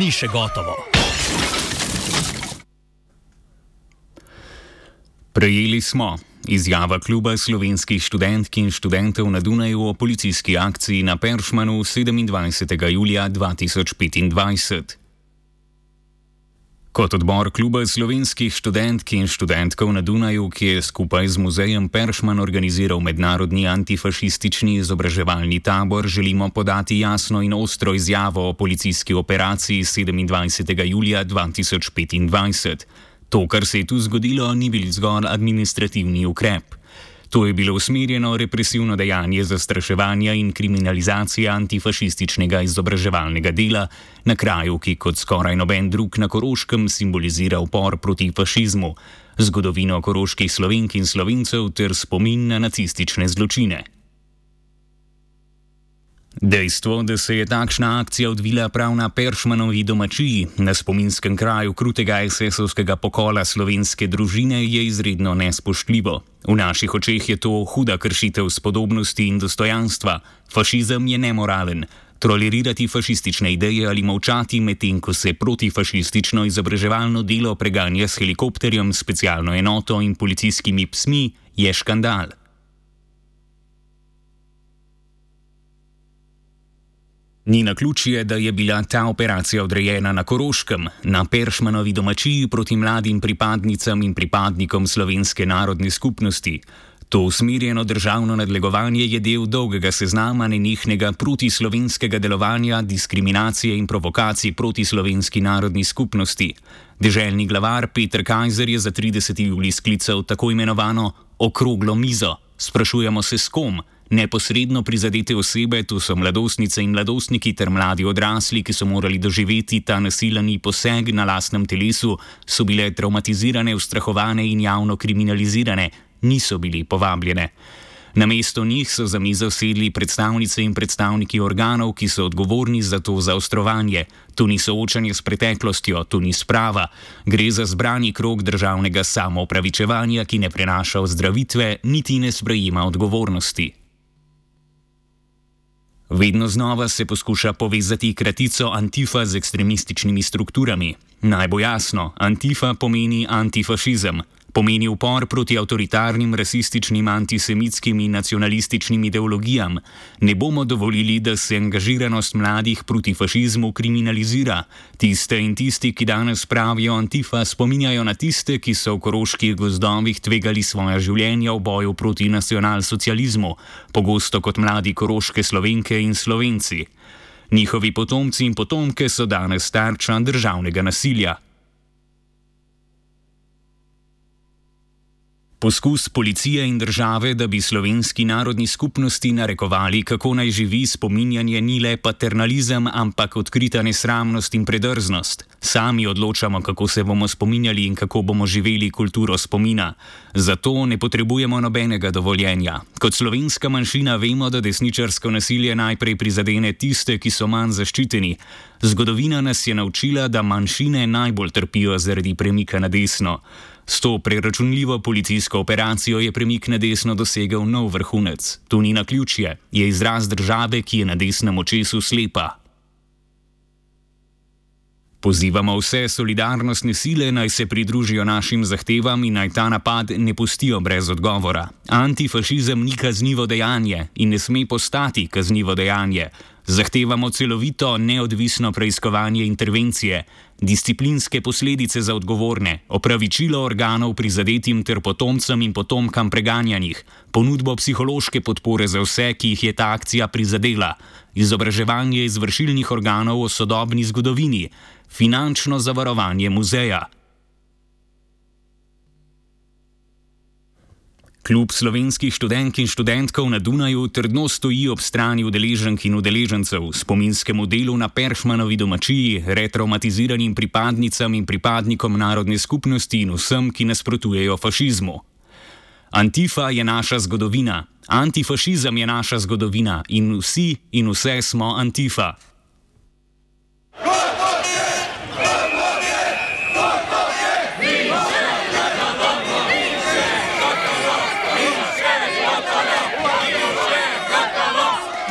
Ni še gotovo. Prejeli smo izjava Kluba slovenskih študentk in študentov na Dunaju o policijski akciji na Peršmanu 27. julija 2025. Kot odbor Kluba slovenskih študentk in študentkov na Dunaju, ki je skupaj z muzejem Peršman organiziral mednarodni antifašistični izobraževalni tabor, želimo podati jasno in ostro izjavo o policijski operaciji 27. julija 2025. To, kar se je tu zgodilo, ni bil zgolj administrativni ukrep. To je bilo usmerjeno represivno dejanje zastraševanja in kriminalizacije antifašističnega izobraževalnega dela na kraju, ki kot skoraj noben drug na Koroškem simbolizira upor proti fašizmu, zgodovino koroških Slovenk in Slovencev ter spomin na nacistične zločine. Dejstvo, da se je takšna akcija odvila prav na Peršmanovi domačiji, na spominskem kraju krutega SS-ovskega pokola slovenske družine, je izredno nespoštljivo. V naših očeh je to huda kršitev spodobnosti in dostojanstva. Fašizem je nemoralen. Tolerirati fašistične ideje ali molčati, medtem ko se protifašistično izobraževalno delo preganja s helikopterjem, specialno enoto in policijskimi psmi, je škandal. Ni naključje, da je bila ta operacija odrejena na Koroškem, na Peršmanovi domačiji proti mladim pripadnicam in pripadnikom slovenske narodne skupnosti. To usmerjeno državno nadlegovanje je del dolgega seznama nenehnega protislovenskega delovanja, diskriminacije in provokacij proti slovenski narodni skupnosti. Deželni glavar Peter Kajzer je za 30. julij sklical tako imenovano okroglo mizo. Sprašujemo se, s kom? Neposredno prizadete osebe, to so mladostnice in mladostniki ter mladi odrasli, ki so morali doživeti ta nasilni poseg na lastnem telesu, so bile traumatizirane, ustrahovane in javno kriminalizirane, niso bili povabljene. Namesto njih so za mizo sedli predstavnice in predstavniki organov, ki so odgovorni za to zaostrovanje. To ni soočanje s preteklostjo, to ni sprava. Gre za zbrani krog državnega samoopravičevanja, ki ne prenaša ozdravitve, niti ne sprejema odgovornosti. Vedno znova se poskuša povezati kratico Antifa z ekstremističnimi strukturami. Naj bo jasno, Antifa pomeni antifašizem. Pomeni upor proti avtoritarnim, rasističnim, antisemitskim in nacionalističnim ideologijam. Ne bomo dovolili, da se angažiranost mladih proti fašizmu kriminalizira. Tiste in tisti, ki danes pravijo Antifa, spominjajo na tiste, ki so v koroških gozdovih tvegali svoja življenja v boju proti nacionalsocializmu, pogosto kot mladi koroške Slovenke in Slovenci. Njihovi potomci in potomke so danes tarča državnega nasilja. Poskus policije in države, da bi slovenski narodni skupnosti narekovali, kako naj živi, spominjanje ni le paternalizem, ampak odkrita nesramnost in predrznost. Sami odločamo, kako se bomo spominjali in kako bomo živeli kulturo spomina. Zato ne potrebujemo nobenega dovoljenja. Kot slovenska manjšina vemo, da desničarsko nasilje najprej prizadene tiste, ki so manj zaščiteni. Zgodovina nas je naučila, da manjšine najbolj trpijo zaradi premika na desno. S to preračunljivo policijsko operacijo je premik na desno dosegel nov vrhunec. To ni naključje, je izraz države, ki je na desnem očesu slepa. Pozivamo vse solidarnostne sile, naj se pridružijo našim zahtevam in naj ta napad ne pustijo brez odgovora. Antifašizem ni kaznivo dejanje in ne sme postati kaznivo dejanje. Zahtevamo celovito, neodvisno preiskovanje intervencije, disciplinske posledice za odgovorne, opravičilo organov prizadetim ter potomcem in potomkam preganjanih, ponudbo psihološke podpore za vse, ki jih je ta akcija prizadela, izobraževanje izvršilnih organov o sodobni zgodovini, finančno zavarovanje muzeja. Klub slovenskih študentk in študentkov na Dunaju trdno stoji ob strani udeleženk in udeležencev, spominskemu delu na Peršmanovi domačiji, retraumatiziranim pripadnicam in pripadnikom narodne skupnosti in vsem, ki nasprotujejo fašizmu. Antifa je naša zgodovina, antifašizem je naša zgodovina in vsi in vse smo Antifa.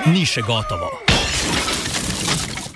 Ni še gotovo.